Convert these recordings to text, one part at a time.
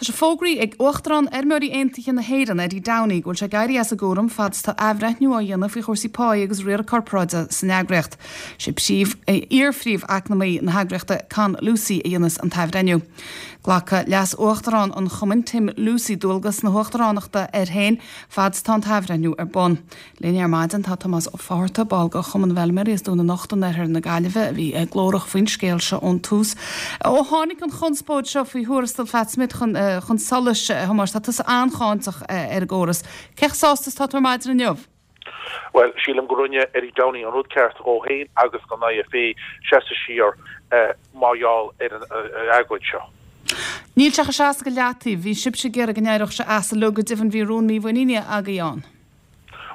Tá sé fógraithe ag Uachtarán Fheirmeoirí Aontaithe na hÉireann, Eddie Downey, go bhfuil sé ag éirí as an gcúram fad is atá athbhreithniú á dhéanamh faoi chúrsaí páí agus riaradh corparáide san eagraíocht. Sé príomh, iar-phríomh-eacnamaí na heagraíochta, Con Lucey, a dhéanfas an t-athbhreithniú. Glacfaidh Leas-Uachtarán an chumainn, Tim Lucey, dualgas na huachtaránachta air féin fad is atá an t-athbhreithniú ar bun. Linn ar maidin tá Tomás Ó Fátharta, ball de Chumann na bhFeilméaraí as Dún na Nochta in oirthear na Gaillimhe, a bhí glórach faoin scéal seo ón tús. Ó tháinig an chonspóid seo faoi thuarastal Phat Smith chun chun solais, a Thomáis, tá tusa an-cháinteach ar an gcóras. Cé chomh sásta is atá tú ar maidin inniu? Bhuel, sílim go rinne Eddie Downey an rud ceart dhó féin agus don IFA seasamh siar mar gheall ar an agóid seo. Níl sé chomh seasta go leataobh. Bhí sibhse ag iarraidh go n-éireodh sé as uilig, go deimhin bhí rún mímhuiníne agaibh ann.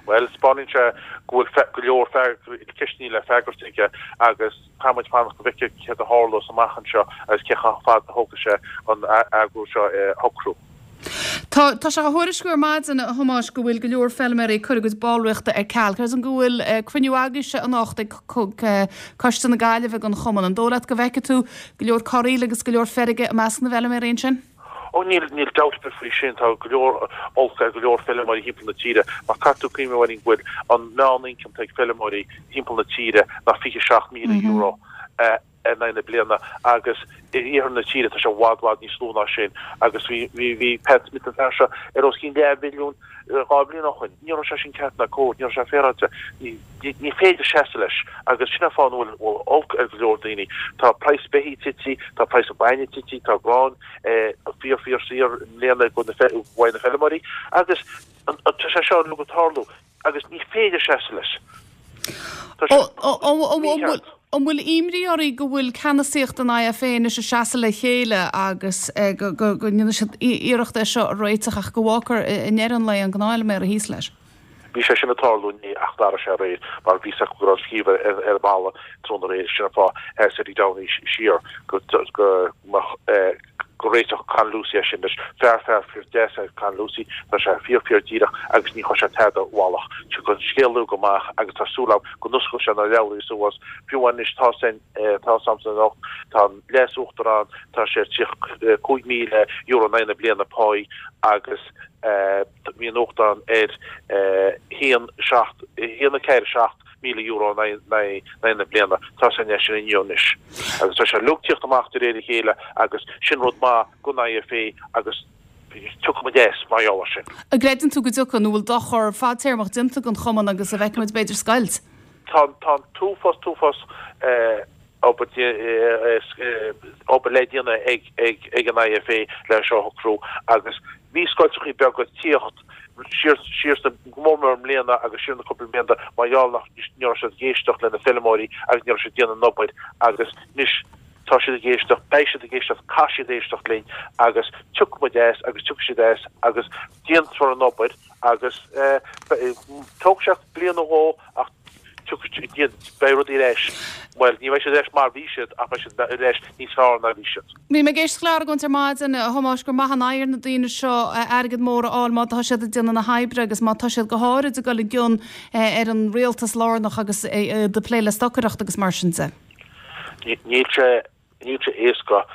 Bhuel, 'spáineann sé go bhfuil go leor ceisteanna le freagairt aige agus caithfidh muid fanacht go bhfeicfidh céard a tharlós amach anseo agus cé chomh fada a thógfaidh sé an agóid seo a shocrú. Tá tá sé á thuairisciú ar maidin, a Thomáis, go bhfuil go leor feilméaraí ag cur a gcuid ballraíochta ar ceal. Creidim go bhfuil cruinniú agaibhse anocht ag Coiste na Gaillimhe den chumann. An dóigh leat go bhfeicfidh tú go leor corraíl agus go leor feirge i measc na bhfeilméaraí ansin? Ó níl, níl dabht ar bith faoi sin, tá go leor olc ar go leor feilméaraí thimpeall na tíre, mar caithfidh tú cuimhneamh a Mháirín go bhfuil an meán-ioncam atá ag feilméaraí thimpeall na tíre ná €27,000 in aghaidh na bliana agus i iarthar na tíre tá sé i bhfad, bhfad níos lú ná sin agus bhí, bhí, bhí Pat Smith an fear seo ar os cionn leathmhilliún 2 bhliain ó shoin. Ní raibh sé sin ceart ná cóir, ní raibh sé féaráilte. Ní, ní féidir seasamh leis agus sin an fáth a bhfuil olc ar go leor daoine. Tá praghas beithígh tite, tá praghas an bainne tite, tá grán fíor fíor saor i mbliana uaidh na feilméaraí agus tá sé seo uilig ag tarlú agus ní féidir seasamh leis. Tá sé mícheart. An bhfuil imní oraibh go bhfuil ceannasaíocht an IFA anois ag seasamh le chéile agus go ndéanfaidh siad iarracht é seo a réiteach ach go bhfágfar i ndeireadh an lae an gnáthfheilméara thíos leis? Bhí sé sin ag tarlú inné ach d'athraigh sé aréir mar bhí 's acu go raibh an scríobh ar an bhalla tráthnóna aréir. Sin an fáth a sheas Eddie Downey siar go mbeadh go réiteodh Con Lucey é sin leis. Fear fear fíor deas é Con Lucey, tá sé fíor fíor díreach agus ní chuirfidh sé tada i bhfalach. Tiocfaidh an scéal uilig amach agus tá súil agam go n-osclóidh sé na leabhraí suas. Fiú anois tá san tá 'samsa anocht, tá an leas-uachtarán, tá sé ar €35,000 in aghaidh na bliana páí agus bhí an uachtarán ar 1, 7, 1, 4, 7 €1,000 in aghaidh na bliana. Tá sé sin inniu anois. Agus tá sé uilig tíocht amach de réir a chéile agus sin rud maith don IFA agus tiocfaidh muid as mar gheall air sin. An gcreideann tú go dtiocfaidh, nó bhfuil dochar fadtéarmach déanta don chumann agus an bhfeicfidh muid b'fhéidir scoilt? Tá an t-uafás, t-uafás obair le déanamh ag an IFA le seo a shocrú agus bhí scoilteachaí beaga ag tíocht siar siar sna, go mór mór i mbliana agus siar na cúpla blianta mar gheall nach ní raibh siad ag éisteacht le na feilméaraí agus ní raibh siad ag déanamh an obair agus anois tá siad ag éisteacht, beidh siad ag éisteacht, caithfidh siad éisteacht linn agus tiocfaidh muid as agus tiocfaidh siad as agus déanfar an obair agus tógfaidh sé bliain nó dhó ach tiocfaidh, beidh rudaí ar ais, bhuel, ní bheidh siad ar ais mar bhí siad ach beidh siad ar ais níos fearr ná bhí siad. Bhí mé ag éisteacht le argóint ar maidin, a Thomáis, gur maith an oidhre na daoine seo airgead mór a fháil má tá siad ag déanamh na hoibre agus má tá siad go háirid ag dul i gcion ar an rialtas lárnach agus ag plé le stocaireacht agus mar sin de. Níl sé. Níl sé éasca,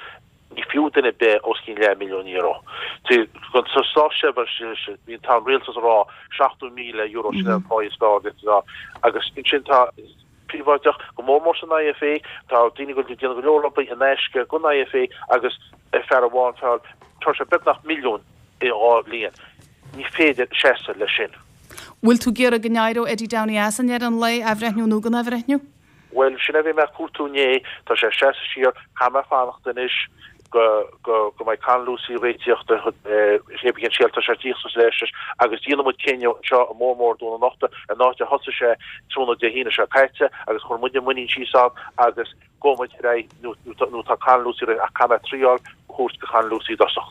ní fiú duine ar bith os cionn leathmhilliún euro. Sa státseirbhís, bíonn, tá an rialtas ag rá €70,000 sin an pá is fearr atá agus ansin tá príobháideach, go mór mór san IFA, tá daoine ag déanamh go leor obair in aisce don IFA agus fear amháin ag fáil, tá sé beagnach milliún i 2 bhliain. Ní féidir seasamh leis sin. Bhfuil tú ag iarraidh go n-éireodh Eddie Downey as i ndeireadh an lae, athbhreithniú nó gan athbhreithniú? Bhuel, sin a bhí mé ag cuartú inné, tá sé ag seasamh siar, caithfidh mé fanacht anois go, go, go mbeidh Con Lucey réitíoch de chéad cén scéal, tá sé ag tíocht suas leis agus déanfaidh muid cinneadh anseo i mór mór Dún na Nochta, an áit a thosaigh sé tráthnóna Dé hAoine seo caite agus chuir muid an muinín síos ann agus gabhfaidh muid ar aghaidh nó, nó tá Con Lucey réidh ach caithfidh mé triail a thabhairt do Con Lucey i dtosach.